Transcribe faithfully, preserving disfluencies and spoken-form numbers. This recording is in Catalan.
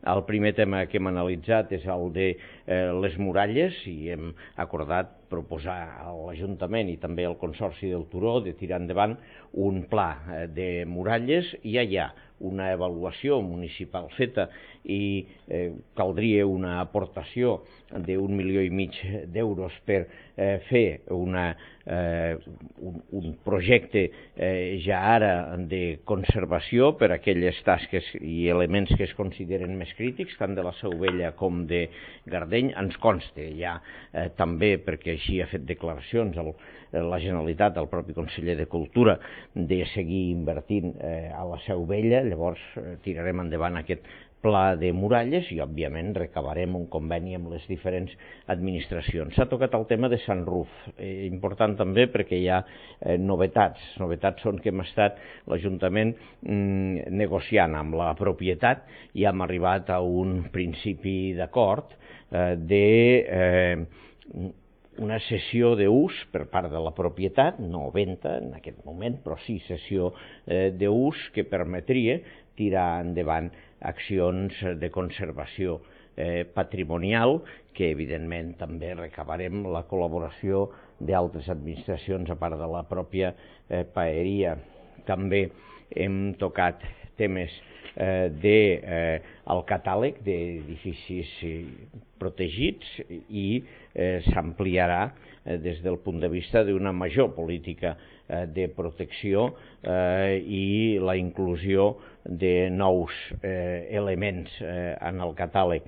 El primer tema que hem analitzat és el de eh, les muralles i hem acordat proposar a l'Ajuntament i també al Consorci del Turó de tirar endavant un pla eh, de muralles. Ja hi ha una avaluació municipal feta i eh, caldria una aportació d'un milió i mig d'euros per eh, fer una, eh, un, un projecte eh, ja ara de conservació per a aquelles tasques i elements que es consideren més crítics, tant de la Seu Vella com de Gardeny. Ens consta ja eh, també, perquè així ha fet declaracions el, la Generalitat, el propi conseller de Cultura, de seguir invertint eh, a la Seu Vella. Llavors eh, tirarem endavant aquest pla de muralles i, òbviament, recabarem un conveni amb les diferents administracions. S'ha tocat el tema de Sant Ruf, eh, important també perquè hi ha eh, novetats. Novetats són que hem estat l'Ajuntament mm, negociant amb la propietat i hem arribat a un principi d'acord eh, de eh, una cessió d'ús per part de la propietat, no venda en aquest moment, però sí cessió eh, d'ús que permetria tirar endavant accions de conservació eh, patrimonial, que evidentment també recabarem la col·laboració d'altres administracions a part de la pròpia eh, paeria. També hem tocat temes eh, de, eh, el catàleg d'edificis protegits i eh, s'ampliarà eh, des del punt de vista d'una major política eh, de protecció eh, i la inclusió de nous eh, elements eh, en el catàleg.